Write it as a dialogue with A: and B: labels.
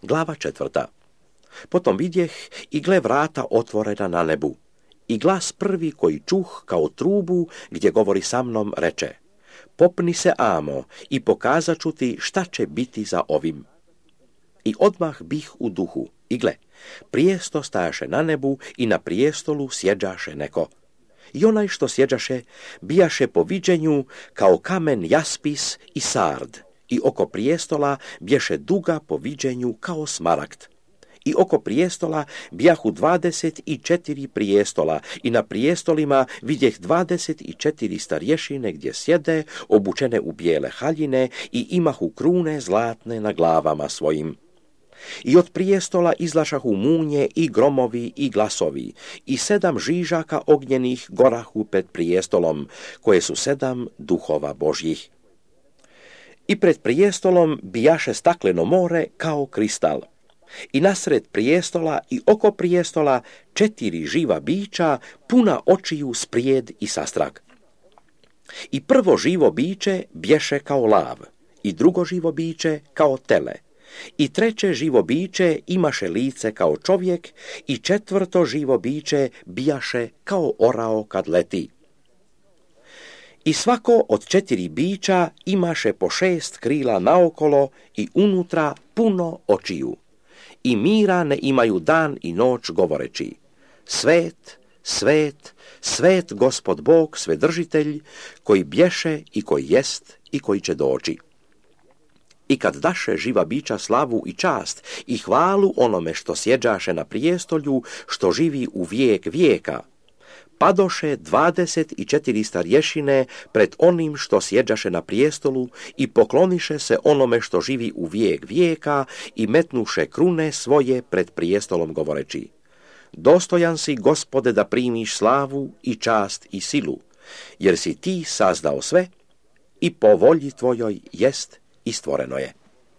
A: Glava 4. Potom vidjeh i gle vrata otvorena na nebu. I glas prvi koji čuh kao trubu gdje govori sa mnom reče: popni se, amo, i pokazat ću ti šta će biti za ovim. I odmah bih u duhu, i gle, prijesto stajaše na nebu i na prijestolu sjeđaše neko. I onaj što sjeđaše bijaše po viđenju kao kamen jaspis i sard, i oko prijestola bješe duga po viđenju kao smaragd. I oko prijestola bijahu 24 prijestola i na prijestolima vidjeh 24 starješine gdje sjede, obučene u bijele haljine i imahu krune zlatne na glavama svojim. I od prijestola izlašahu munje i gromovi i glasovi i 7 žižaka ognjenih gorahu pred prijestolom, koje su 7 duhova Božjih. I pred prijestolom bijaše stakleno more kao kristal. I nasred prijestola i oko prijestola 4 živa bića puna očiju sprijed i sastrag. I prvo živo biće bješe kao lav, i drugo živo biće kao tele, i treće živo biće imaše lice kao čovjek, i četvrto živo biće bijaše kao orao kad leti. I svako od 4 bića imaše po 6 krila naokolo i unutra puno očiju. I mira ne imaju dan i noć govoreći: svet, svet, svet Gospod Bog Svedržitelj, koji bješe i koji jest i koji će doći. I kad daše živa bića slavu i čast i hvalu onome što sjeđaše na prijestolju, što živi u vijek vijeka, padoše 24 starješine pred onim što sjeđaše na prijestolu i pokloniše se onome što živi u vijek vijeka i metnuše krune svoje pred prijestolom govoreći: dostojan si, Gospode, da primiš slavu i čast i silu, jer si ti sazdao sve i po volji tvojoj jest i stvoreno je.